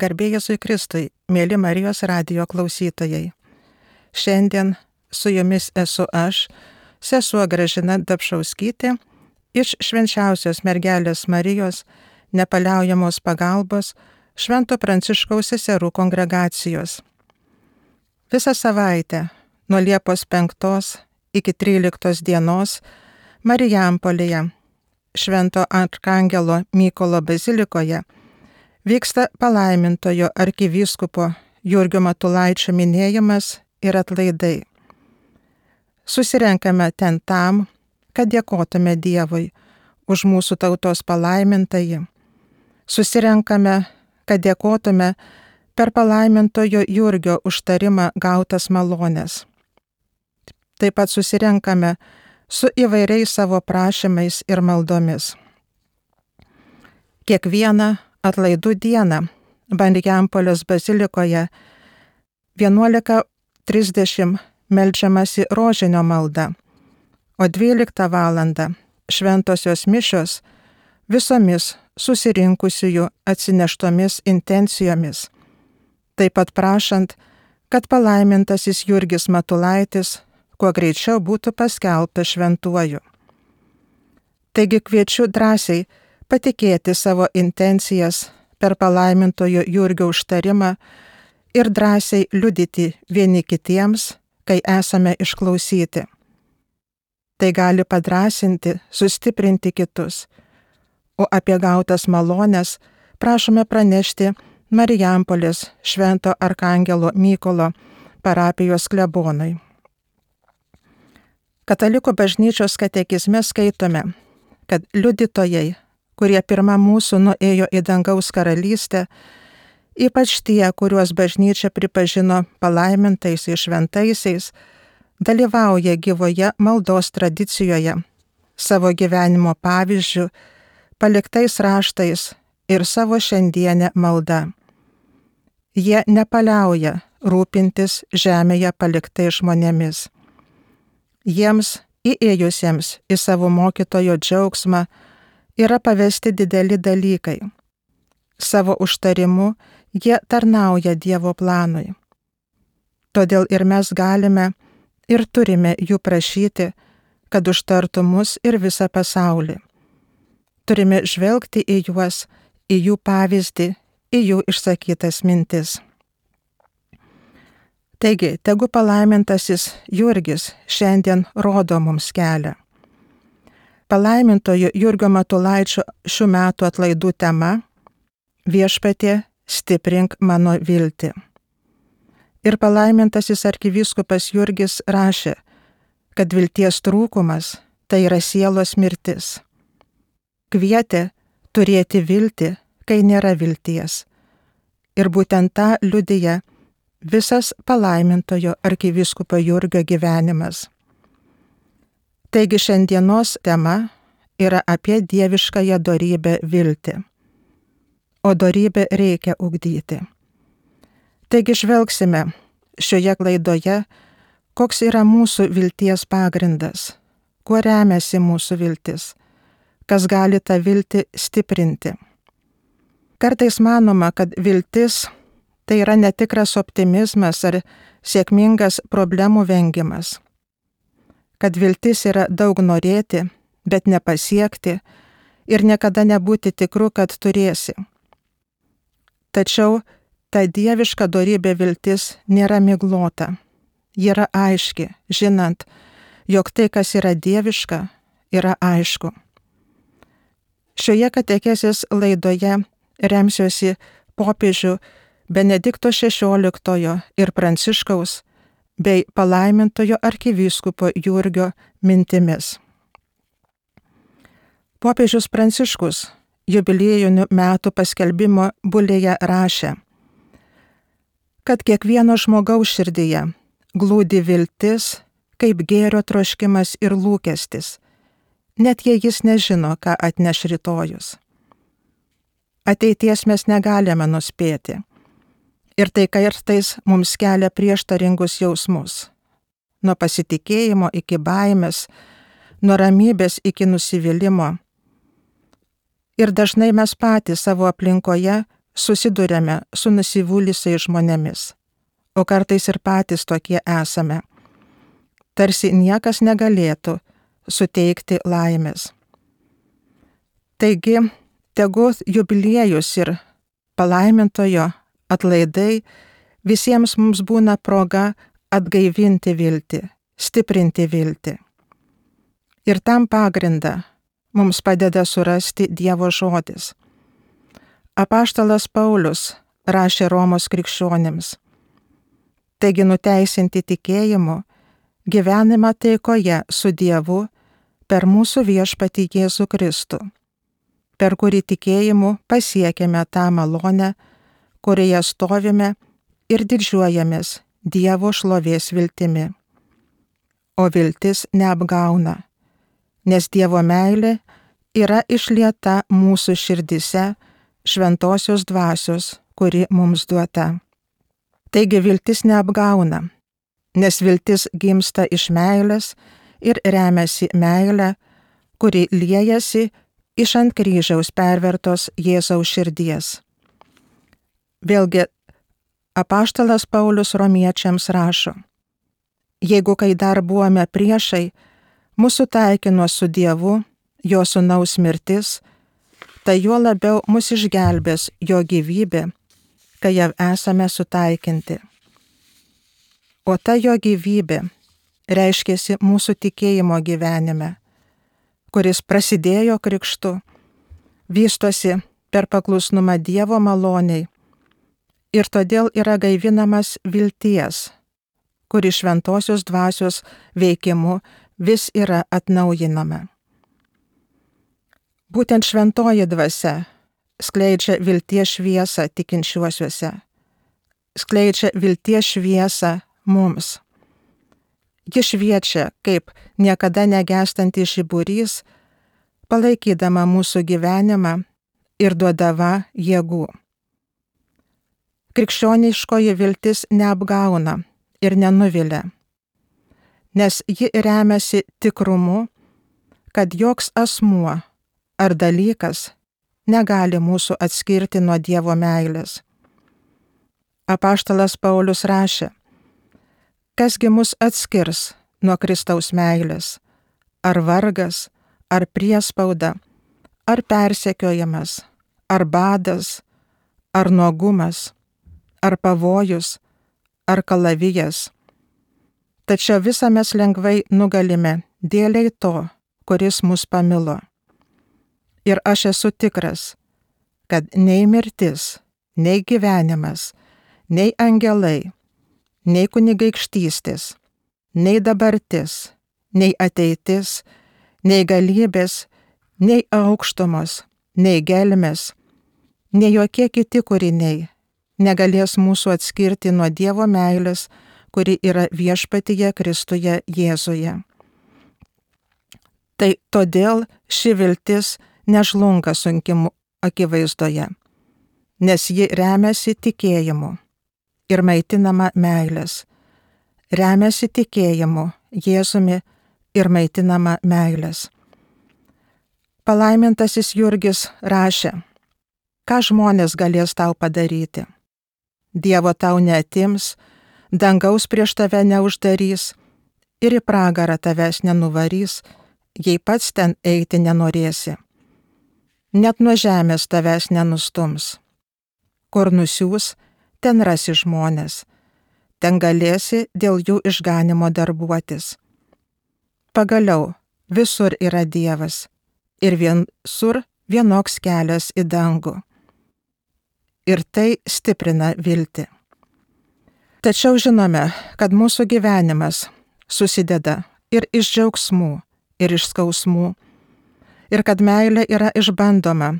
Garbė Jėzui Kristui, mėly Marijos radijo klausytojai. Šiandien su jumis esu aš, sesuo Gražina Dapšauskytė, iš Švenčiausios Mergelės Marijos nepaliaujamos pagalbos Švento Pranciškaus seserų kongregacijos. Visą savaitę, nuo Liepos 5 iki 13 dienos, Marijampolėje, Švento Arkangelo Mykolo bazilikoje, vyksta palaimintojo arkivyskupo Jurgio Matulaičio minėjimas ir atlaidai. Susirenkame ten tam, kad dėkotume Dievui už mūsų tautos palaimintąjį. Susirenkame, kad dėkotume per palaimintojo Jurgio užtarimą gautas malones. Taip pat susirenkame su įvairiais savo prašymais ir maldomis. Kiekvieną atlaidų dieną Marijampolės bazilikoje 11:30 meldžiamasi rožinio malda, o 12 valandą šventosios mišios visomis susirinkusiųjų atsineštomis intencijomis, taip pat prašant, kad palaimintasis Jurgis Matulaitis kuo greičiau būtų paskelbtas šventuoju. Taigi kviečiu drąsiai patikėti savo intencijas per palaimintojo Jurgio užtarimą ir drąsiai liudyti vieni kitiems, kai esame išklausyti. Tai gali padrąsinti, sustiprinti kitus, o apie gautas malones prašome pranešti Marijampolės Švento Arkangelo Mykolo parapijos klebonui. Katalikų bažnyčios katekizme skaitome, kad liudytojai, kurie pirma mūsų nuėjo į dangaus karalystę, ypač tie, kuriuos bažnyčia pripažino palaimintais ir šventaisiais, dalyvauja gyvoje maldos tradicijoje, savo gyvenimo pavyzdžių, paliktais raštais ir savo šiandienę maldą. Jie nepaliauja rūpintis žemėje paliktais žmonėmis. Jiems, įėjusiems į savo mokytojo džiaugsmą, yra pavesti dideli dalykai. Savo užtarimu jie tarnauja Dievo planui. Todėl ir mes galime ir turime jų prašyti, kad užtartų mus ir visą pasaulį. Turime žvelgti į juos, į jų pavyzdį, į jų išsakytas mintis. Taigi, tegu palaimintasis Jurgis šiandien rodo mums kelią. Palaimintojo Jurgio Matulaičio šių metų atlaidų tema – Viešpatie, stiprink mano viltį. Ir palaimintasis arkivyskupas Jurgis rašė, kad vilties trūkumas tai yra sielos mirtis. Kvietė turėti viltį, kai nėra vilties. Ir būtent tą liudija visas palaimintojo arkivyskupo Jurgio gyvenimas. Taigi šiandienos tema yra apie dieviškąją dorybę viltį. O dorybę reikia ugdyti. Taigi žvelgsime šioje klaidoje, koks yra mūsų vilties pagrindas, kuo remiasi mūsų viltis, kas gali tą viltį stiprinti. Kartais manoma, kad viltis tai yra netikras optimizmas ar sėkmingas problemų vengimas. Kad viltis yra daug norėti, bet nepasiekti ir niekada nebūti tikru, kad turėsi. Tačiau ta dieviška dorybė viltis nėra miglota. Ji yra aiški, žinant, jog tai, kas yra dieviška, yra aišku. Šioje katekezės laidoje remsiuosi popiežių Benedikto XVI ir Pranciškaus bei palaimintojo arkivyskupo Jurgio mintimis. Popiežius Pranciškus jubiliejinių metų paskelbimo bulėje rašė, kad kiekvieno žmogaus širdyje glūdi viltis, kaip gėrio troškimas ir lūkestis, net jei jis nežino, ką atneš rytojus. Ateities mes negalime nuspėti. Ir tai kartais mums kelia prieštaringus jausmus. Nuo pasitikėjimo iki baimės, nuo ramybės iki nusivylimo. Ir dažnai mes patys savo aplinkoje susiduriame su nusivylusiais žmonėmis, o kartais ir patys tokie esame. Tarsi niekas negalėtų suteikti laimės. Taigi, tegu jubiliejus ir palaimintojo atlaidai visiems mums būna proga atgaivinti viltį, stiprinti viltį. Ir tam pagrindą mums padeda surasti Dievo žodis. Apaštalas Paulius rašė Romos krikščionims: taigi nuteisinti tikėjimu, gyvenimą taikoje su Dievu per mūsų viešpatį Jėzų Kristų, per kurį tikėjimu pasiekėme tą malonę, kurioje stovime ir didžiuojamės Dievo šlovės viltimi. O viltis neapgauna, nes Dievo meilė yra išlieta mūsų širdise šventosios dvasios, kuri mums duota. Taigi viltis neapgauna, nes viltis gimsta iš meilės ir remiasi meilę, kuri liejasi iš ant kryžiaus pervertos Jėzaus širdies. Vėlgi, apaštalas Paulius romiečiams rašo: jeigu kai dar buvome priešai, mūsų taikino su Dievu, jo sūnaus mirtis, tai juo labiau mus išgelbės jo gyvybė, kai jau esame sutaikinti. O ta jo gyvybė reiškėsi mūsų tikėjimo gyvenime, kuris prasidėjo krikštu, vystosi per paklusnumą Dievo maloniai ir todėl yra gaivinamas vilties, kuri šventosios dvasios veikimu vis yra atnaujinama. Būtent šventoji dvasia skleidžia vilties šviesą tikinčiuosiuose, skleidžia vilties šviesą mums. Ji šviečia kaip niekada negęstantis žiburys, palaikydama mūsų gyvenimą ir duodama jėgų. Krikščioniškoji viltis neapgauna ir nenuvilia, nes ji remiasi tikrumu, kad joks asmuo ar dalykas negali mūsų atskirti nuo Dievo meilės. Apaštalas Paulius rašė: kasgi mus atskirs nuo Kristaus meilės, ar vargas, ar priespauda, ar persekiojimas, ar badas, ar nuogumas, ar pavojus, ar kalavijas. Tačiau visą mes lengvai nugalime dėlei to, kuris mus pamilo. Ir aš esu tikras, kad nei mirtis, nei gyvenimas, nei angelai, nei kunigaikštystės, nei dabartis, nei ateitis, nei galybės, nei aukštumos, nei gelmės, nei jokie kiti kūriniai negalės mūsų atskirti nuo Dievo meilės, kuri yra viešpatyje Kristuje Jėzuje. Tai todėl ši viltis nežlunga sunkimu akivaizdoje, nes ji remiasi tikėjimu ir maitinama meilės, remiasi tikėjimu Jėzumi ir maitinama meilės. Palaimintasis Jurgis rašė: ką žmonės galės tau padaryti? Dievo tau neatims, dangaus prieš tave neuždarys ir į pragarą tavęs nenuvarys, jei pats ten eiti nenorėsi. Net nuo žemės tavęs nenustums. Kur nusiūs, ten rasi žmonės, ten galėsi dėl jų išganimo darbuotis. Pagaliau, visur yra Dievas ir visur vienoks kelias į dangų. Ir tai stiprina viltį. Tačiau žinome, kad mūsų gyvenimas susideda ir iš džiaugsmų, ir iš skausmų, ir kad meilė yra išbandoma,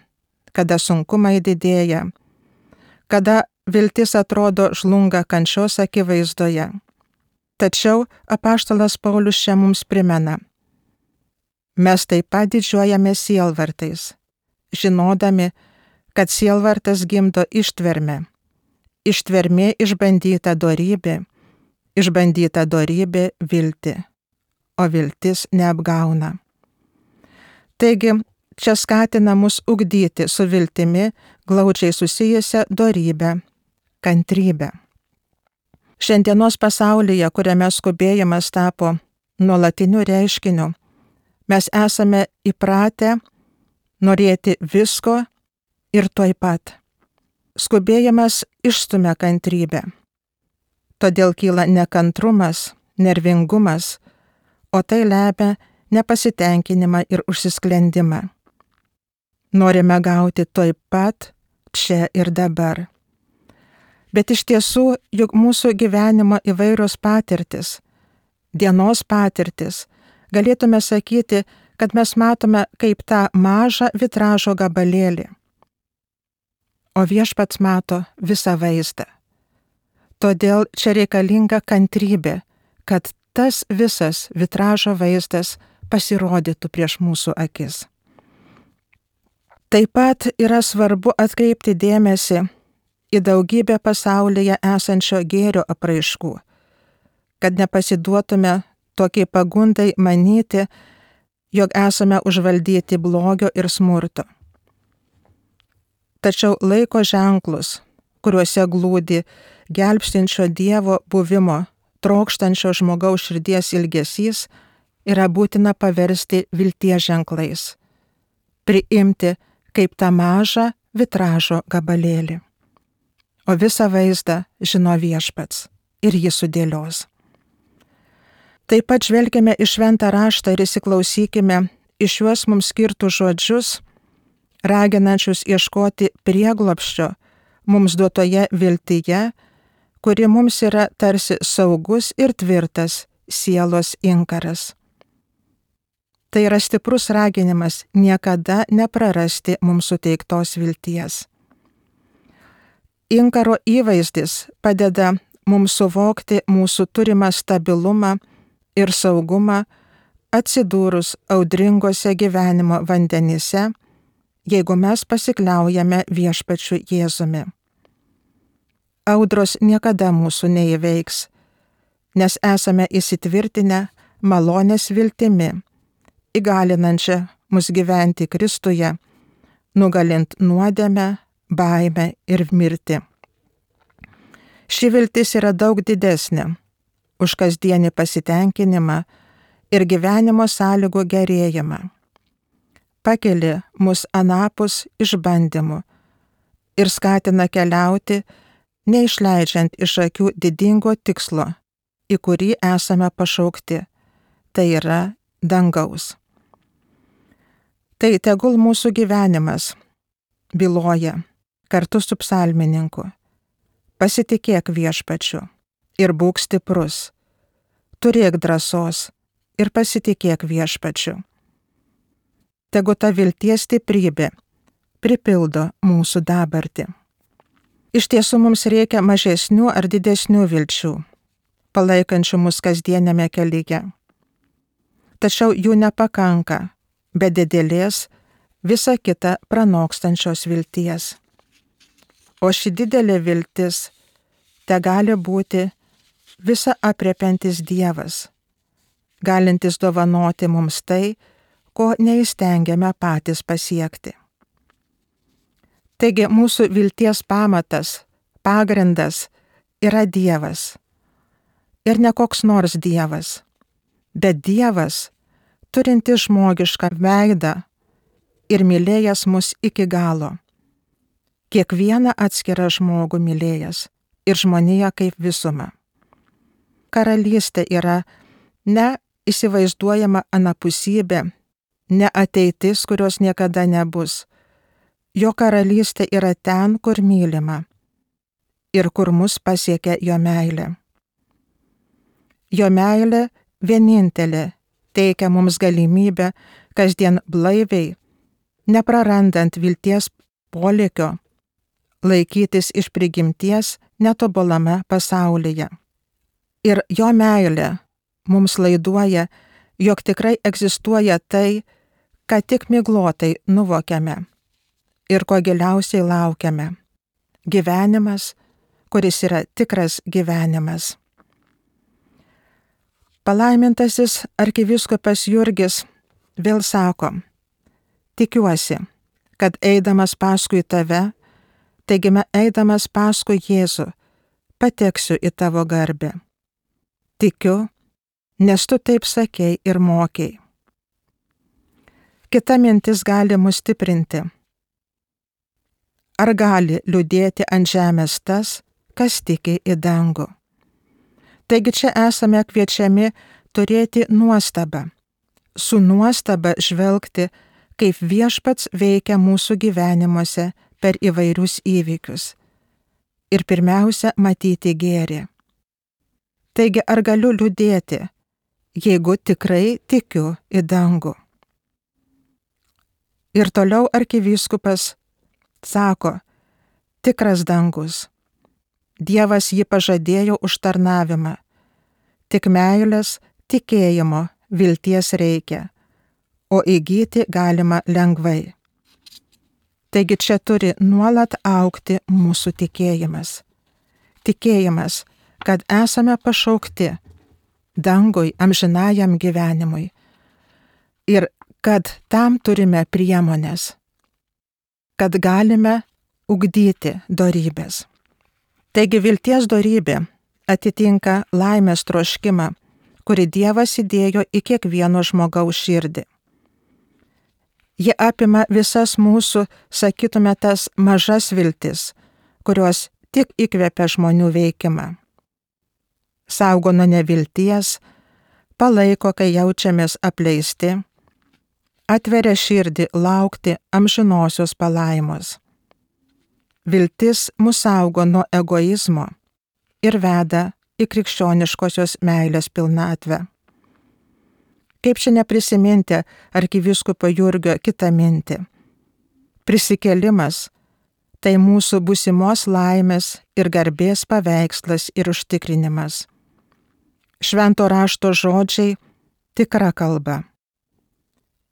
kada sunkumai didėja, kada viltis atrodo žlunga kančios akivaizdoje. Tačiau apaštalas Paulius čia mums primena: mes taip pat didžiuojamės sielvartais, žinodami, kad sielvartas gimdo ištvermę, ištvermė išbandyta dorybė viltį, o viltis neapgauna. Taigi, čia skatina mus ugdyti su viltimi glaudžiai susijusią dorybę, kantrybę. Šiandienos pasaulyje, kuriame skubėjimas tapo nuolatiniu reiškiniu, mes esame įpratę norėti visko ir tuoj pat. Skubėjimas išstumia kantrybę. Todėl kyla nekantrumas, nervingumas, o tai lemia nepasitenkinimą ir užsisklendimą. Norime gauti tuoj pat, čia ir dabar. Bet iš tiesų, juk mūsų gyvenimo įvairios patirtis, dienos patirtis, galėtume sakyti, kad mes matome kaip tą mažą vitražo gabalėlį. O Viešpats mato visą vaizdą. Todėl čia reikalinga kantrybė, kad tas visas vitražo vaizdas pasirodytų prieš mūsų akis. Taip pat yra svarbu atkreipti dėmesį į daugybę pasaulyje esančio gėrio apraiškų, kad nepasiduotume tokiai pagundai manyti, jog esame užvaldyti blogio ir smurto. Tačiau laiko ženklus, kuriuose glūdi gelbstinčio Dievo buvimo, trokštančio žmogaus širdies ilgesys, yra būtina paversti vilties ženklais, priimti kaip tą mažą vitražo gabalėlį. O visą vaizdą žino Viešpats ir jį sudėlios. Taip pat žvelgime į šventą raštą ir įsiklausykime į šiuos mums skirtus žodžius, raginančius ieškoti prieglobsčio mums duotoje viltyje, kuri mums yra tarsi saugus ir tvirtas sielos inkaras. Tai yra stiprus raginimas niekada neprarasti mums suteiktos vilties. Inkaro įvaizdis padeda mums suvokti mūsų turimą stabilumą ir saugumą atsidūrus audringose gyvenimo vandenyse, jeigu mes pasikliaujame Viešpačiu Jėzumi. Audros niekada mūsų neįveiks, nes esame įsitvirtinę malonės viltimi, įgalinančią mus gyventi Kristuje, nugalint nuodėmę, baimę ir mirtį. Ši viltis yra daug didesnė už kasdienį pasitenkinimą ir gyvenimo sąlygų gerėjimą. Pakeli mus anapus išbandymų ir skatina keliauti, neišleidžiant iš akių didingo tikslo, į kurį esame pašaukti, tai yra dangaus. Tai tegul mūsų gyvenimas byloja kartu su psalmininku: pasitikėk Viešpačiu ir būk stiprus, turėk drąsos ir pasitikėk Viešpačiu. Tegu ta vilties stiprybė pripildo mūsų dabartį. Iš tiesų mums reikia mažesnių ar didesnių vilčių, palaikančių mus kasdienėme kelyje. Tačiau jų nepakanka be didelės visą kitą pranokstančios vilties. O ši didelė viltis tegali būti visa apriepiantis Dievas, galintis dovanoti mums tai, ko neįstengiame patys pasiekti. Taigi mūsų vilties pamatas, pagrindas yra Dievas. Ir ne koks nors Dievas, bet Dievas, turintis žmogišką veidą ir mylėjęs mus iki galo. Kiekvieną atskirą žmogų mylėjęs ir žmoniją kaip visumą. Karalystė yra ne įsivaizduojama anapusybė, ne ateitis, kurios niekada nebus. Jo karalystė yra ten, kur mylima ir kur mus pasiekia jo meilė. Jo meilė vienintelė teikia mums galimybę kasdien blaiviai, neprarandant vilties polėkio, laikytis iš prigimties netobulame pasaulyje. Ir jo meilė mums laiduoja, jog tikrai egzistuoja tai, ką tik miglotai nuvokiame ir ko giliausiai laukiame. Gyvenimas, kuris yra tikras gyvenimas. Palaimintasis arkivyskupas Jurgis vėl sako: tikiuosi, kad eidamas paskui tave Taigi eidamas paskui Jėzų, pateksiu į tavo garbę. Tikiu, nes tu taip sakei ir mokei. Kita mintis gali mus stiprinti. Ar gali liūdėti ant žemės tas, kas tiki į dangų? Taigi čia esame kviečiami turėti nuostabą, su nuostaba žvelgti, kaip Viešpats veikia mūsų gyvenimuose per įvairius įvykius. Ir pirmiausia, matyti gėrį. Taigi ar galiu liūdėti, jeigu tikrai tikiu į dangų? Ir toliau arkivyskupas sako, tikras dangus. Dievas jį pažadėjo už tarnavimą. Tik meilės, tikėjimo, vilties reikia, o įgyti galima lengvai. Taigi čia turi nuolat augti mūsų tikėjimas. Tikėjimas, kad esame pašaukti dangui, amžinajam gyvenimui ir kad tam turime priemones, kad galime ugdyti dorybės. Taigi vilties dorybė atitinka laimės troškimą, kurį Dievas įdėjo į kiekvieno žmogaus širdį. Ji apima visas mūsų, sakytume, tas mažas viltis, kurios tik įkvepia žmonių veikimą. Saugo nuo nevilties, palaiko, kai jaučiamės apleisti, atveria širdį laukti amžinosios palaimos. Viltis mus saugo nuo egoizmo ir veda į krikščioniškosios meilės pilnatvę. Kaip šiandien prisiminti arkivyskupo Jurgio kitą mintį? Prisikėlimas – tai mūsų būsimos laimės ir garbės paveikslas ir užtikrinimas. Švento rašto žodžiai – tikra kalba.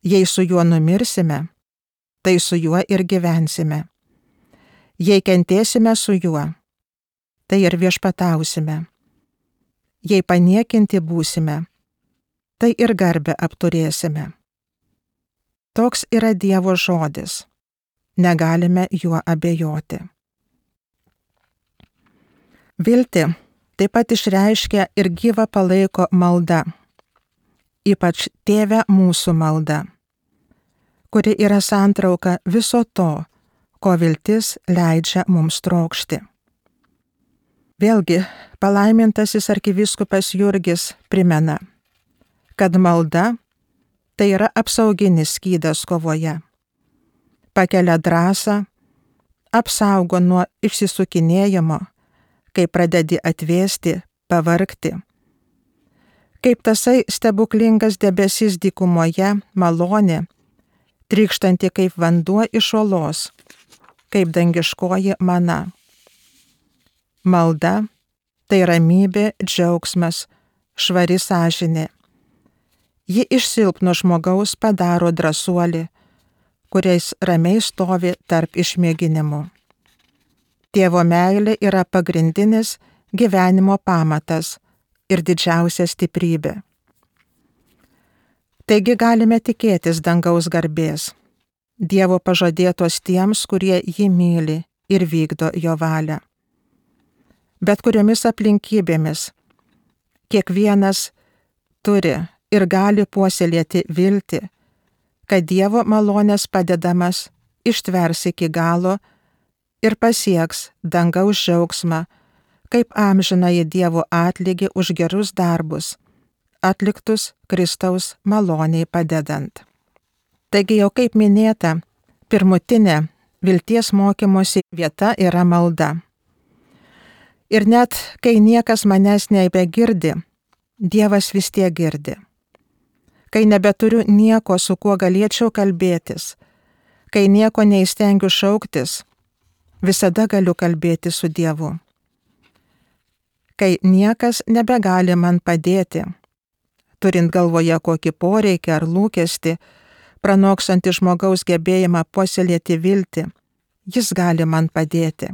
Jei su juo numirsime, tai su juo ir gyvensime. Jei kentėsime su juo, tai ir viešpatausime. Jei paniekinti būsime, tai ir garbę apturėsime. Toks yra Dievo žodis. Negalime juo abejoti. Viltį taip pat išreiškia ir gyvą palaiko malda, ypač Tėve mūsų malda, kuri yra santrauka viso to, ko viltis leidžia mums trokšti. Vėlgi, palaimintasis arkivyskupas Jurgis primena, kad malda tai yra apsauginis skydas kovoje. Pakelia drąsą, apsaugo nuo išsisukinėjimo, kai pradedi atvėsti, pavargti. Kaip tasai stebuklingas debesis dykumoje malonė, trykštanti kaip vanduo iš uolos, kaip dangiškoji mana. Malda tai ramybė, džiaugsmas, švari sąžinė. Ji iš silpno žmogaus padaro drąsuolį, kuriais ramiai stovi tarp išmėginimų. Tėvo meilė yra pagrindinis gyvenimo pamatas ir didžiausia stiprybė. Taigi galime tikėtis dangaus garbės, Dievo pažadėtos tiems, kurie jį myli ir vykdo jo valią. Bet kuriomis aplinkybėmis kiekvienas turi ir gali puoselėti viltį, kad Dievo malonės padedamas ištvers iki galo ir pasieks dangaus džiaugsmą, kaip amžinąjį Dievo atlygį už gerus darbus, atliktus Kristaus maloniai padedant. Taigi jau kaip minėta, pirmutinė vilties mokymosi vieta yra malda. Ir net kai niekas manęs nebegirdi, Dievas vis tiek girdi. Kai nebeturiu nieko, su kuo galėčiau kalbėtis, kai nieko neįstengiu šauktis, visada galiu kalbėti su Dievu. Kai niekas nebegali man padėti, turint galvoje kokį poreikį ar lūkestį, pranoksantį žmogaus gebėjimą puoselėti viltį, jis gali man padėti.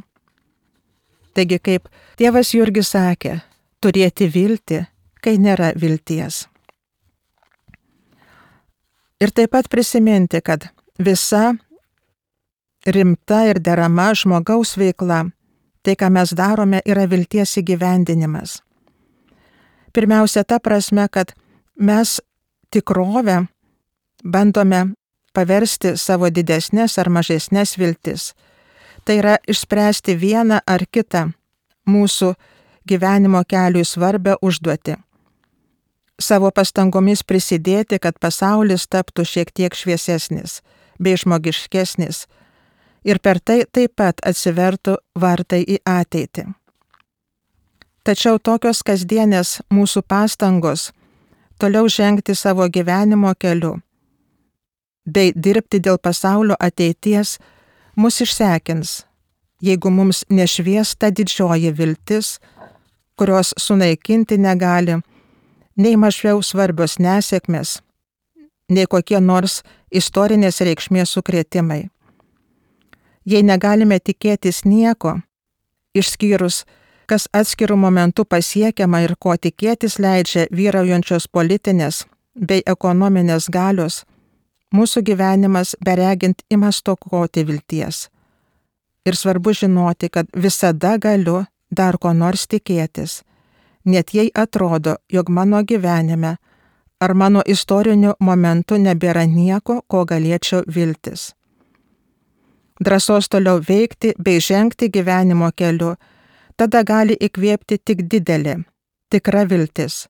Taigi, kaip tėvas Jurgis sakė, turėti viltį, kai nėra vilties. Ir taip pat prisiminti, kad visa rimta ir derama žmogaus veikla, tai, ką mes darome, yra vilties įgyvendinimas. Pirmiausia, ta prasme, kad mes tikrovę bandome paversti savo didesnės ar mažesnės viltis. Tai yra išspręsti vieną ar kitą mūsų gyvenimo keliui svarbę užduotį. Savo pastangomis prisidėti, kad pasaulis taptų šiek tiek šviesesnis bei žmogiškesnis ir per tai taip pat atsivertų vartai į ateitį. Tačiau tokios kasdienės mūsų pastangos toliau žengti savo gyvenimo keliu bei dirbti dėl pasaulio ateities mus išsekins, jeigu mums nešvies ta didžioji viltis, kurios sunaikinti negali nei mažiau svarbios nesėkmės, nei kokie nors istorinės reikšmės sukrėtimai. Jei negalime tikėtis nieko, išskyrus, kas atskirų momentų pasiekiama ir ko tikėtis leidžia vyraujančios politinės bei ekonominės galios, mūsų gyvenimas beregint ima stokoti vilties. Ir svarbu žinoti, kad visada galiu dar ko nors tikėtis, net jei atrodo, jog mano gyvenime ar mano istoriniu momentu nebėra nieko, ko galėčiau viltis. Drąsos toliau veikti bei žengti gyvenimo keliu tada gali įkvėpti tik didelė, tikra viltis,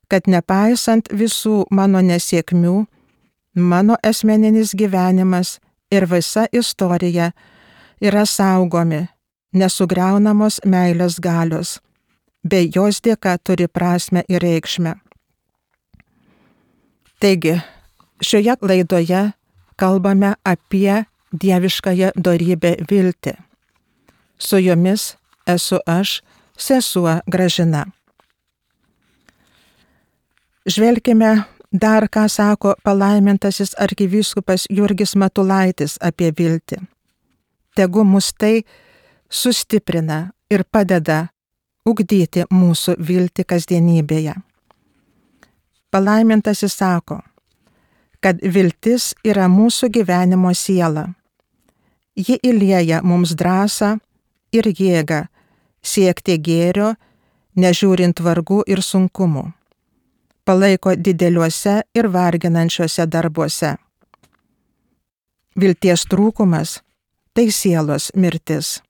kad nepaisant visų mano nesėkmių, mano asmeninis gyvenimas ir visa istorija yra saugomi, nesugriaunamos meilės galios, bei jos dėka turi prasmę ir reikšmę. Taigi, šioje laidoje kalbame apie dieviškąją dorybę viltį. Su jumis esu aš, sesuo Gražina. Žvelkime dar, ką sako palaimintasis arkivyskupas Jurgis Matulaitis apie viltį. Tegu mus tai sustiprina ir padeda ugdyti mūsų viltį kasdienybėje. Palaimintasis sako, kad viltis yra mūsų gyvenimo siela. Ji įlieja mums drąsą ir jėgą siekti gėrio, nežiūrint vargų ir sunkumų. Palaiko dideliuose ir varginančiuose darbuose. Vilties trūkumas – tai sielos mirtis.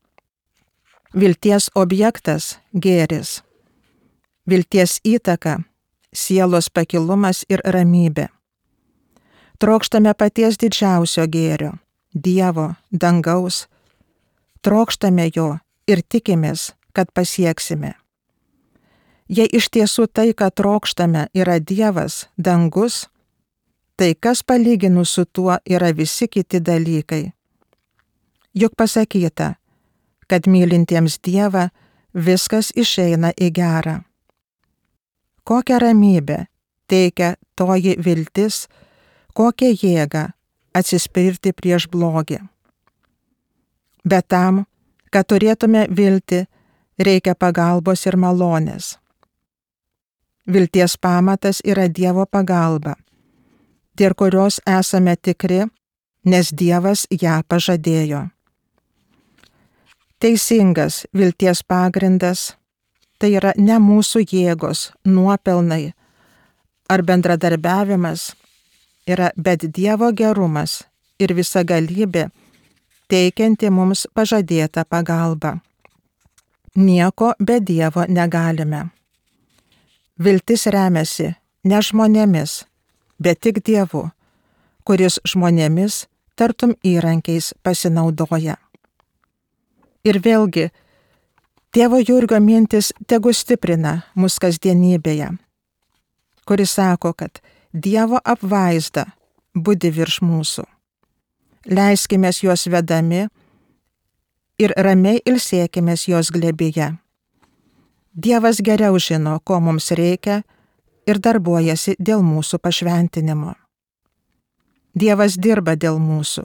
Vilties objektas – gėris. Vilties įtaka – sielos pakilumas ir ramybė. Trokštame paties didžiausio gėrio – Dievo, dangaus. Trokštame jo ir tikimės, kad pasieksime. Jei iš tiesų tai, ką trokštame, yra Dievas, dangus, tai kas palyginus su tuo yra visi kiti dalykai. Juk pasakyta, kad mylintiems Dievą viskas išeina į gerą. Kokią ramybę teikia toji viltis, kokią jėgą atsispirti prieš blogį. Bet tam, kad turėtume viltį, reikia pagalbos ir malonės. Vilties pamatas yra Dievo pagalba, dėl kurios esame tikri, nes Dievas ją pažadėjo. Teisingas vilties pagrindas – tai yra ne mūsų jėgos, nuopelnai ar bendradarbiavimas, bet Dievo gerumas ir visagalybė, teikianti mums pažadėtą pagalbą. Nieko be Dievo negalime. Viltis remiasi ne žmonėmis, bet tik Dievu, kuris žmonėmis tartum įrankiais pasinaudoja. Ir vėlgi, tėvo Jurgio mintis tegu stiprina mus kasdienybėje, kuris sako, kad Dievo apvaizda budi virš mūsų. Leiskimės juos vedami ir ramiai ilsėkimės jos glėbyje. Dievas geriau žino, ko mums reikia ir darbuojasi dėl mūsų pašventinimo. Dievas dirba dėl mūsų.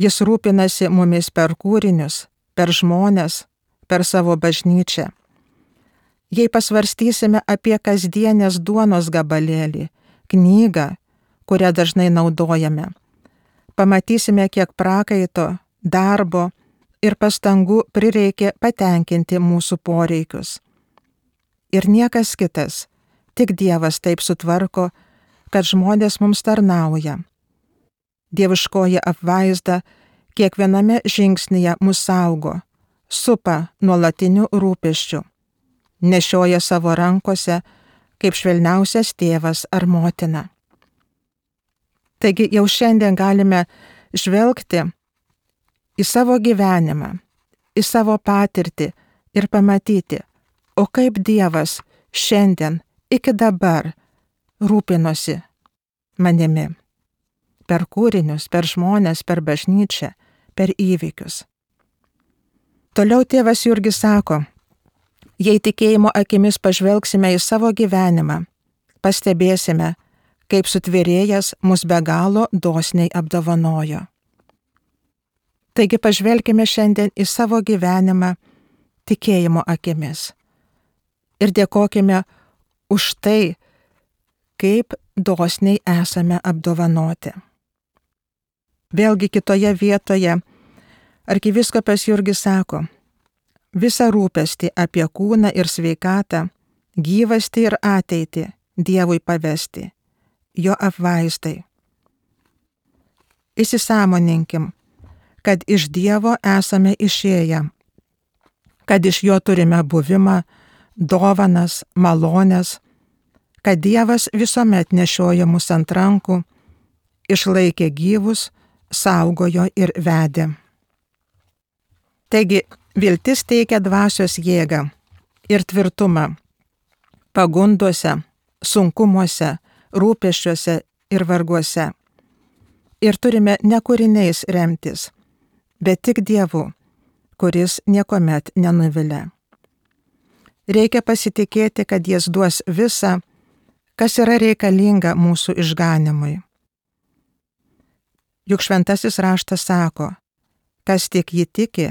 Jis rūpinasi mumis per kūrinius, per žmones, per savo bažnyčią. Jei pasvarstysime apie kasdienės duonos gabalėlį, knygą, kurią dažnai naudojame, pamatysime, kiek prakaito darbo ir pastangų prireikė patenkinti mūsų poreikius. Ir niekas kitas, tik Dievas taip sutvarko, kad žmonės mums tarnauja. Dieviškoji apvaizda kiekviename žingsnyje mus saugo, supa nuolatiniu rūpesčiu, nešioja savo rankose kaip švelniausias tėvas ar motina. Taigi jau šiandien galime žvelgti į savo gyvenimą, į savo patirtį ir pamatyti, o kaip Dievas šiandien iki dabar rūpinosi manimi. Per kūrinius, per žmones, per bažnyčią, per įvykius. Toliau tėvas Jurgis sako, jei tikėjimo akimis pažvelgsime į savo gyvenimą, pastebėsime, kaip sutvėrėjas mus be galo dosniai apdovanojo. Taigi pažvelkime šiandien į savo gyvenimą tikėjimo akimis ir dėkokime už tai, kaip dosniai esame apdovanoti. Vėlgi kitoje vietoje arkivyskupas Jurgis sako, visą rūpestį apie kūną ir sveikatą, gyvastį ir ateitį Dievui pavesti, jo apvaizdai. Įsisąmoninkim, kad iš Dievo esame išėję, kad iš jo turime buvimą, dovanas, malones, kad Dievas visuomet nešioja mus ant rankų, išlaikė gyvus, saugojo ir vedė. Taigi, viltis teikia dvasios jėgą ir tvirtumą pagunduose, sunkumuose, rūpesčiuose ir varguose. Ir turime ne kūriniais remtis, bet tik Dievu, kuris niekuomet nenuvilia. Reikia pasitikėti, kad Jis duos visą, kas yra reikalinga mūsų išganimui. Juk šventasis raštas sako, kas tik jį tiki,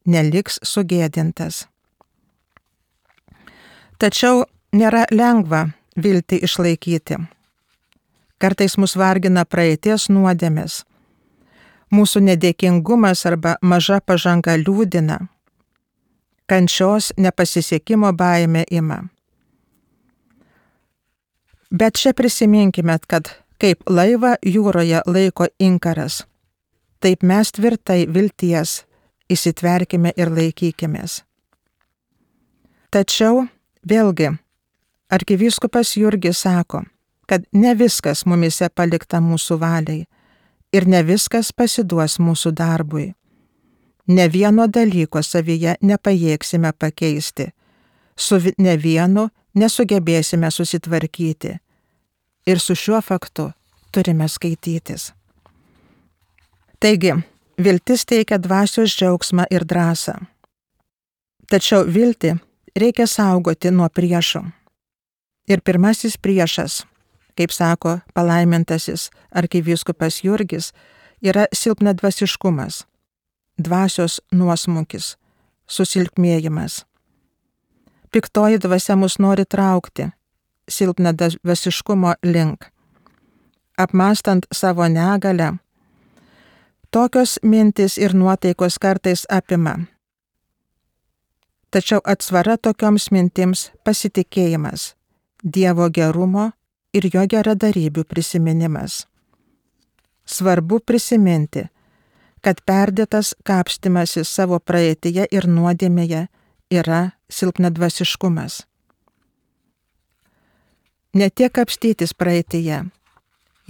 neliks sugėdintas. Tačiau nėra lengva viltį išlaikyti. Kartais mus vargina praeities nuodėmės. Mūsų nedėkingumas arba maža pažanga liūdina. Kančios nepasisekimo baimė ima. Bet čia prisiminkime, kad kaip laivą jūroje laiko inkaras, taip mes tvirtai vilties įsitverkime ir laikykimės. Tačiau vėlgi arkivyskupas Jurgis sako, kad ne viskas mumise palikta mūsų valiai ir ne viskas pasiduos mūsų darbui. Ne vieno dalyko savyje nepajėgsime pakeisti, su ne vienu nesugebėsime susitvarkyti. Ir su šiuo faktu turime skaitytis. Taigi, viltis teikia dvasios džiaugsmą ir drąsą. Tačiau viltį reikia saugoti nuo priešų. Ir pirmasis priešas, kaip sako palaimintasis arkivyskupas Jurgis, yra silpnadvasiškumas, dvasios nuosmukis, susilpnėjimas. Piktoji dvasia mus nori traukti silpnadvasiškumo link. Apmąstant savo negalę, tokios mintis ir nuotaikos kartais apima. Tačiau atsvara tokioms mintims pasitikėjimas, Dievo gerumo ir jo geradarybių prisiminimas. Svarbu prisiminti, kad perdėtas kapstymasis savo praeityje ir nuodėmėje yra silpnadvasiškumas. Ne tiek kapstytis praeityje.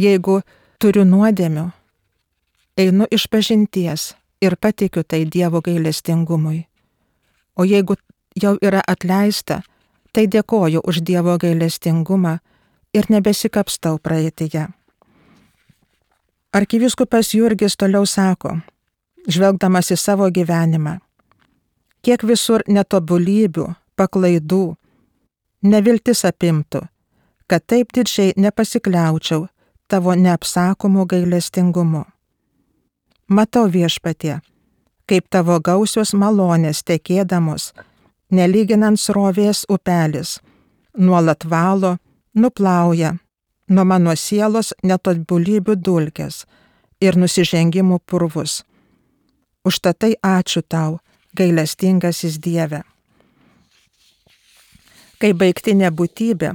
Jeigu turiu nuodėmių, einu išpažinties ir patikiu tai Dievo gailestingumui. O jeigu jau yra atleista, tai dėkoju už Dievo gailestingumą ir nebesikapstau praeityje. Arkivyskupas Jurgis toliau sako, žvelgdamas į savo gyvenimą, kiek visur netobulybių, paklaidų, neviltis apimtų, kad taip didžiai nepasikliaučiau tavo neapsakomu gailestingumu. Matau Viešpatie, kaip tavo gausios malonės tekėdamos, nelyginant srovės upelis, nuolat valo, nuplauja nuo mano sielos netobulybių dulkes ir nusižengimų purvus. Užtatai ačiū tau, gailestingasis Dieve. Kai baigtinė būtybė,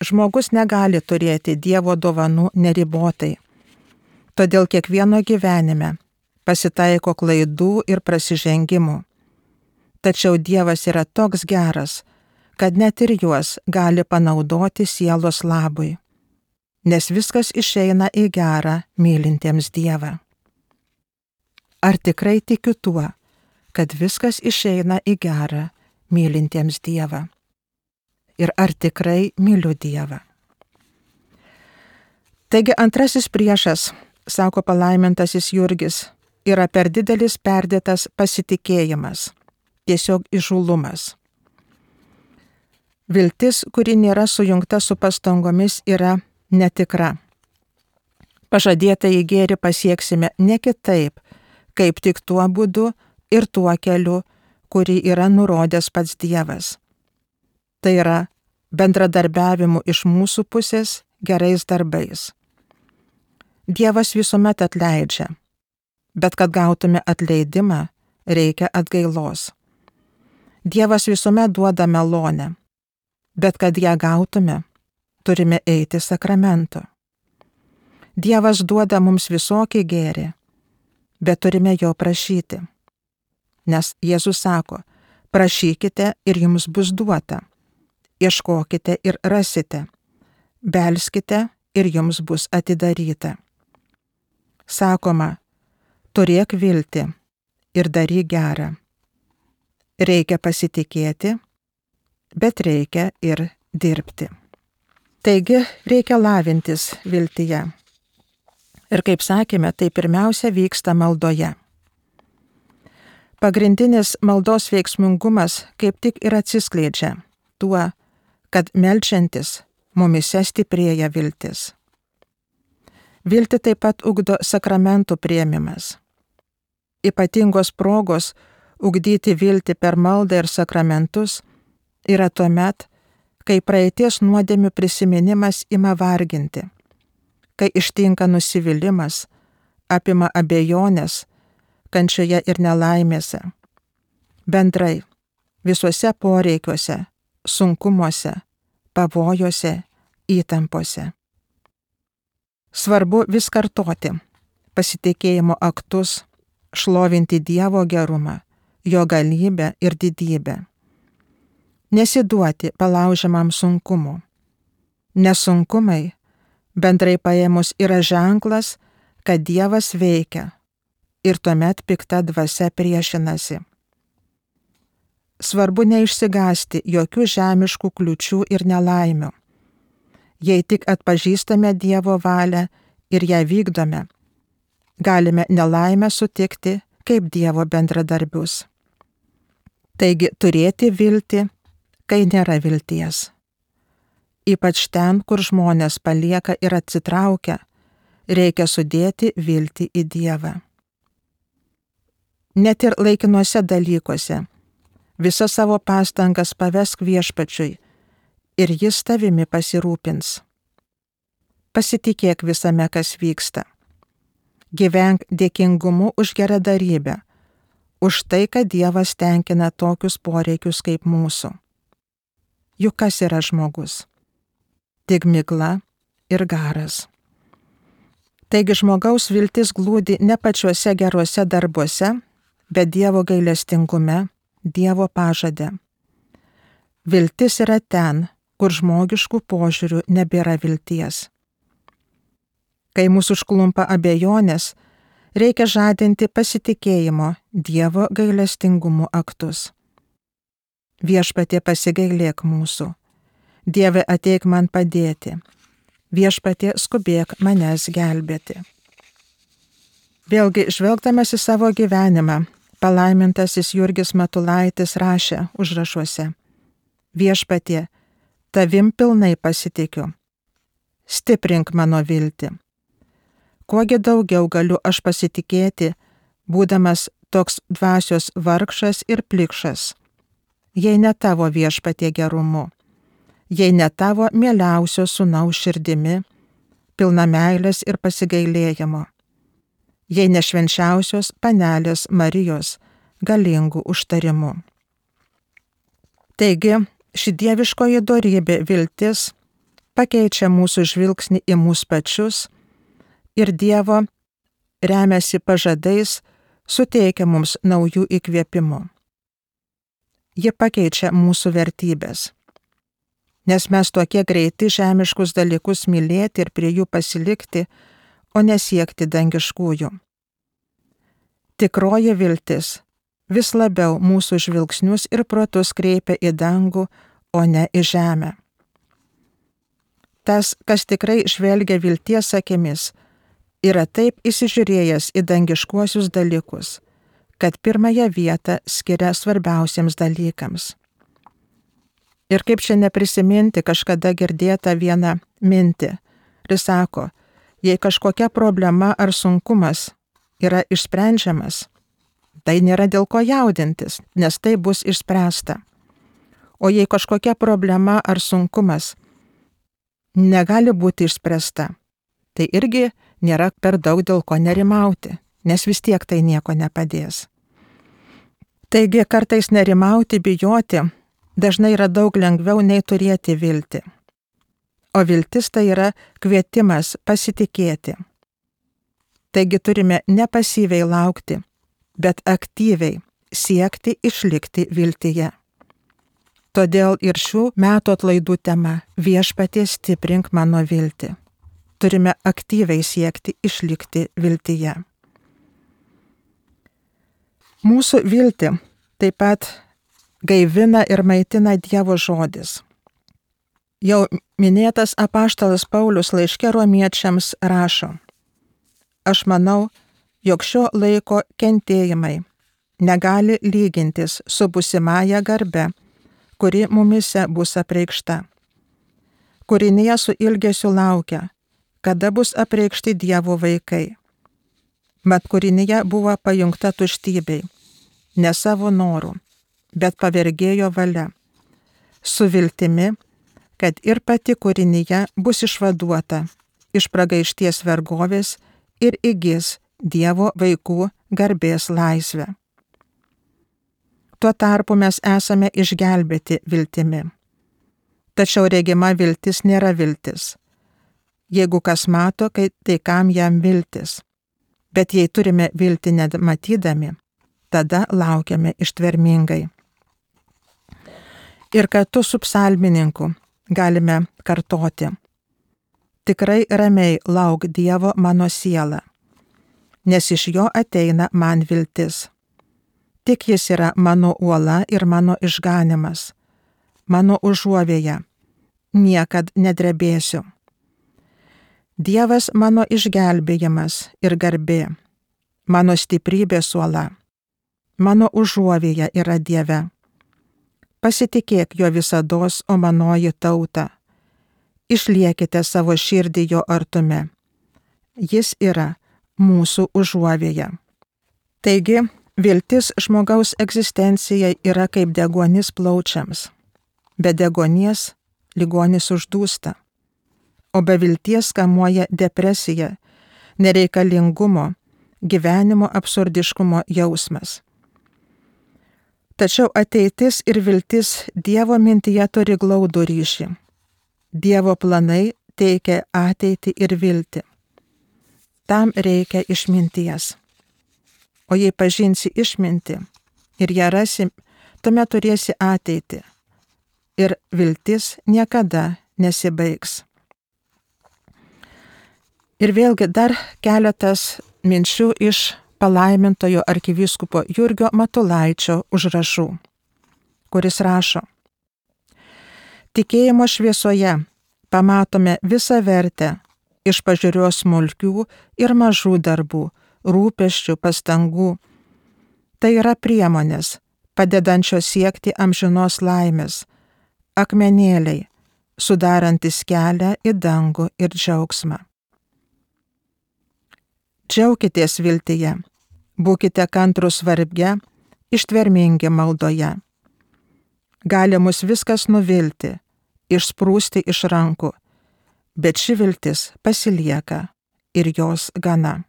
žmogus negali turėti Dievo dovanų neribotai. Todėl kiekvieno gyvenime pasitaiko klaidų ir prasižengimų. Tačiau Dievas yra toks geras, kad net ir juos gali panaudoti sielos labui, nes viskas išeina į gerą mylintiems Dievą. Ar tikrai tikiu tuo, kad viskas išeina į gerą mylintiems Dievą? Ir ar tikrai myliu Dievą? Taigi antrasis priešas, sako palaimintasis Jurgis, yra per didelis perdėtas pasitikėjimas, tiesiog įžūlumas. Viltis, kuri nėra sujungta su pastangomis, yra netikra. Pažadėtąjį gėrį pasieksime ne kitaip, kaip tik tuo būdu ir tuo keliu, kurį yra nurodęs pats Dievas. Tai yra bendradarbiavimu iš mūsų pusės gerais darbais. Dievas visuomet atleidžia, bet kad gautume atleidimą, reikia atgailos. Dievas visuomet duoda malonę, bet kad ją gautume, turime eiti sakramento. Dievas duoda mums visokį gėrį, bet turime jo prašyti. Nes Jėzus sako, prašykite ir jums bus duota, ieškokite ir rasite, belskite ir jums bus atidaryta. Sakoma, turėk viltį ir daryk gerą. Reikia pasitikėti, bet reikia ir dirbti. Taigi reikia lavintis viltyje. Ir kaip sakėme, tai pirmiausia vyksta maldoje. Pagrindinis maldos veiksmingumas kaip tik ir atsiskleidžia tuo, kad meldžiantis mumyse stiprėja viltis. Viltį taip pat ugdo sakramentų priėmimas. Ypatingos progos ugdyti viltį per maldą ir sakramentus yra tuomet, kai praeities nuodėmių prisiminimas ima varginti, kai ištinka nusivylimas, apima abejonės, kančioje ir nelaimėse, bendrai visuose poreikiuose, sunkumuose, pavojuose, įtampose. Svarbu vis kartoti pasitikėjimo aktus, šlovinti Dievo gerumą, jo galybę ir didybę. Nesiduoti palaužiamam sunkumu. Nesunkumai, bendrai paėmus, yra ženklas, kad Dievas veikia ir tuomet pikta dvasia priešinasi. Svarbu neišsigąsti jokių žemiškų kliūčių ir nelaimių. Jei tik atpažįstame Dievo valią ir ją vykdome, galime nelaimę sutikti kaip Dievo bendradarbius. Taigi turėti viltį, kai nėra vilties. Ypač ten, kur žmonės palieka ir atsitraukia, reikia sudėti viltį į Dievą. Net ir laikinuose dalykuose visas savo pastangas pavesk Viešpačiui ir jis tavimi pasirūpins. Pasitikėk visame, kas vyksta. Gyvenk dėkingumu už geradarybę, už tai, kad Dievas tenkina tokius poreikius kaip mūsų. Juk kas yra žmogus? Tik migla ir garas. Taigi žmogaus viltis glūdi ne pačiuose geruose darbuose, bet Dievo gailestingume, Dievo pažade. Viltis yra ten, kur žmogiškų požiūrių nebėra vilties. Kai mūsų užklumpa abejonės, reikia žadinti pasitikėjimo Dievo gailestingumo aktus. Viešpatie, pasigailėk mūsų. Dieve, ateik man padėti. Viešpatie, skubėk manęs gelbėti. Vėlgi, žvelgdamas į savo gyvenimą, palaimintasis Jurgis Matulaitis rašė užrašuose: Viešpatie, tavim pilnai pasitikiu. Stiprink mano viltį. Kuogi daugiau galiu aš pasitikėti, būdamas toks dvasios vargšas ir plikšas, jei ne tavo Viešpatie gerumu, jei ne tavo mieliausio sūnaus širdimi, pilna meilės ir pasigailėjimo, jei ne švenčiausios panelės Marijos galingų užtarimų. Taigi, ši dieviškoji dorybė viltis pakeičia mūsų žvilgsnį į mūsų pačius ir Dievo remiasi pažadais, suteikia mums naujų įkvėpimų. Ji pakeičia mūsų vertybės, nes mes tokie greiti žemiškus dalykus mylėti ir prie jų pasilikti, o nesiekti dangiškųjų. Tikroji viltis vis labiau mūsų žvilgsnius ir protus kreipia į dangų, o ne į žemę. Tas, kas tikrai žvelgia vilties akimis, yra taip įsižiūrėjęs į dangiškuosius dalykus, kad pirmąją vietą skiria svarbiausiems dalykams. Ir kaip čia neprisiminti kažkada girdėtą vieną mintį, ir sako, jei kažkokia problema ar sunkumas yra išsprendžiamas, tai nėra dėl ko jaudintis, nes tai bus išspręsta. O jei kažkokia problema ar sunkumas negali būti išspręsta, tai irgi nėra per daug dėl ko nerimauti, nes vis tiek tai nieko nepadės. Taigi kartais nerimauti, bijoti dažnai yra daug lengviau nei turėti viltį. O viltis tai yra kvietimas pasitikėti. Taigi turime ne pasyviai laukti, bet aktyviai siekti išlikti viltyje. Todėl ir šių metų atlaidų tema Viešpatie stiprink mano viltį. Turime aktyviai siekti išlikti viltyje. Mūsų viltį taip pat gaivina ir maitina Dievo žodis. Jau minėtas apaštalas Paulius laiške romiečiams rašo: Aš manau, jog šio laiko kentėjimai negali lygintis su būsimąja garbe, kuri mumise bus apreikšta. Kūrinija su ilgesiu laukia, kada bus apreikšti Dievo vaikai. Mat kūrinija buvo pajungta tuštybei, ne savo norų, bet pavergėjo valia, su viltimi, kad ir pati kūrinija bus išvaduota iš pragaišties vergovės ir įgis Dievo vaikų garbės laisvę. Tuo tarpu mes esame išgelbėti viltimi. Tačiau regima viltis nėra viltis. Jeigu kas mato, tai kam jam viltis? Bet jei turime viltį nematydami, tada laukiame ištvermingai. Ir kartu su psalmininku galime kartoti: Tikrai ramiai lauk Dievo mano siela, nes iš jo ateina man viltis. Tik jis yra mano uola ir mano išganimas, mano užuovėja, niekad nedrebėsiu. Dievas mano išgelbėjimas ir garbė, mano stiprybės uola, mano užuovėja yra Dieve. Pasitikėk jo visados, o manoji tauta. Išliekite savo širdį jo artume. Jis yra mūsų užuovėja. Taigi, viltis žmogaus egzistencijai yra kaip deguonis plaučiams. Be deguonies ligonis uždūsta, o be vilties kamuoja depresija, nereikalingumo, gyvenimo absurdiškumo jausmas. Tačiau ateitis ir viltis Dievo mintyje turi glaudų ryšį. Dievo planai teikia ateitį ir viltį. Tam reikia išminties. O jei pažinsi išmintį ir ją rasi, tuomet turėsi ateitį. Ir viltis niekada nesibaigs. Ir vėlgi dar keletas minčių iš palaimintojo arkivyskupo Jurgio Matulaičio užrašų, kuris rašo: Tikėjimo šviesoje pamatome visą vertę iš pažiūrios smulkių ir mažų darbų, rūpesčių, pastangų. Tai yra priemonės, padedančios siekti amžinos laimės, akmenėliai, sudarantis kelią į dangų ir džiaugsmą. Džiaukitės viltyje, būkite kantrūs varge, ištvermingi maldoje. Gali mus viskas nuvilti, išsprūsti iš rankų, bet ši viltis pasilieka ir jos gana.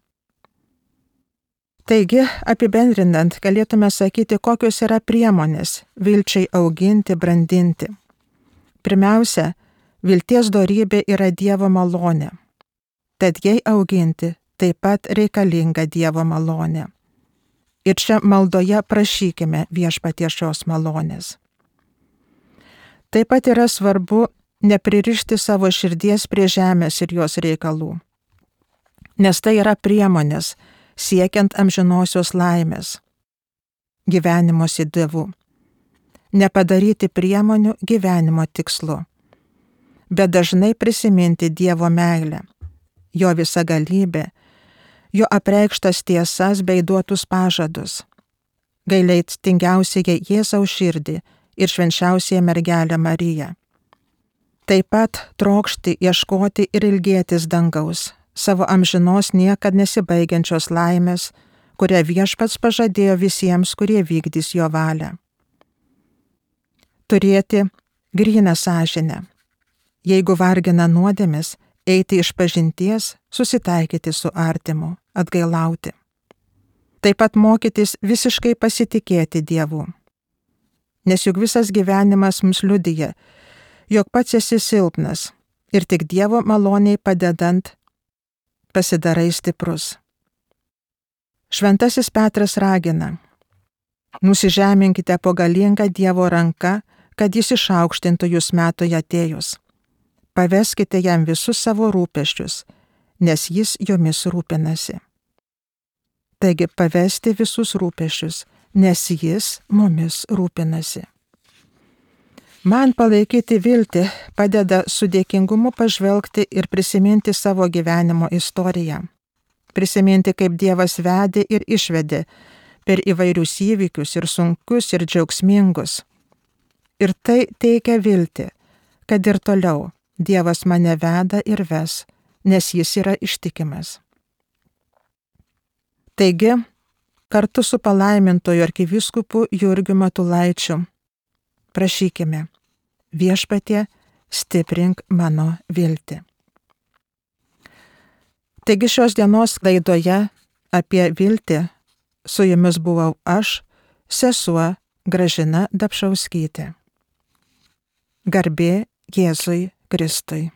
Taigi, apibendrinant, galėtume sakyti, kokios yra priemonės vilčiai auginti, brandinti. Pirmiausia, vilties dorybė yra Dievo malonė. Tad jai auginti taip pat reikalinga Dievo malonė. Ir čia maldoje prašykime Viešpaties šios malonės. Taip pat yra svarbu nepririšti savo širdies prie žemės ir jos reikalų, nes tai yra priemonės siekiant amžinosios laimės, gyvenimo su Dievu. Nepadaryti priemonių gyvenimo tikslu, bet dažnai prisiminti Dievo meilę, jo visagalybę, jo apreikštas tiesas bei duotus pažadus, gailestingiausiąją Jėzaus širdį ir švenčiausiąją mergelę Mariją. Taip pat trokšti, ieškoti ir ilgėtis dangaus, savo amžinos niekad nesibaigiančios laimės, kurią Viešpats pažadėjo visiems, kurie vykdys jo valią. Turėti gryną sąžinę. Jeigu vargina nuodėmės, eiti išpažinties, susitaikyti su artimu, atgailauti. Taip pat mokytis visiškai pasitikėti Dievu. Nes juk visas gyvenimas mums liudija, jog pats esi silpnas ir tik Dievo maloniai padedant pasidarai stiprus. Šventasis Petras ragina: nusižeminkite po galingą Dievo ranką, kad jis išaukštintų jūs metui atėjus. Paveskite jam visus savo rūpesčius, nes jis jomis rūpinasi. Taigi pavesti visus rūpesčius, nes jis mumis rūpinasi. Man palaikyti viltį padeda su dėkingumu pažvelgti ir prisiminti savo gyvenimo istoriją. Prisiminti, kaip Dievas vedė ir išvedė per įvairius įvykius ir sunkius ir džiaugsmingus. Ir tai teikia viltį, kad ir toliau Dievas mane veda ir ves, nes jis yra ištikimas. Taigi, kartu su palaimintoju arkivyskupu Jurgiu Matulaičiu prašykime: Viešpatie, stiprink mano viltį. Taigi šios dienos laidoje apie viltį su jumis buvau aš, sesuo Gražina Dapšauskytė. Garbė Jėzui Kristui.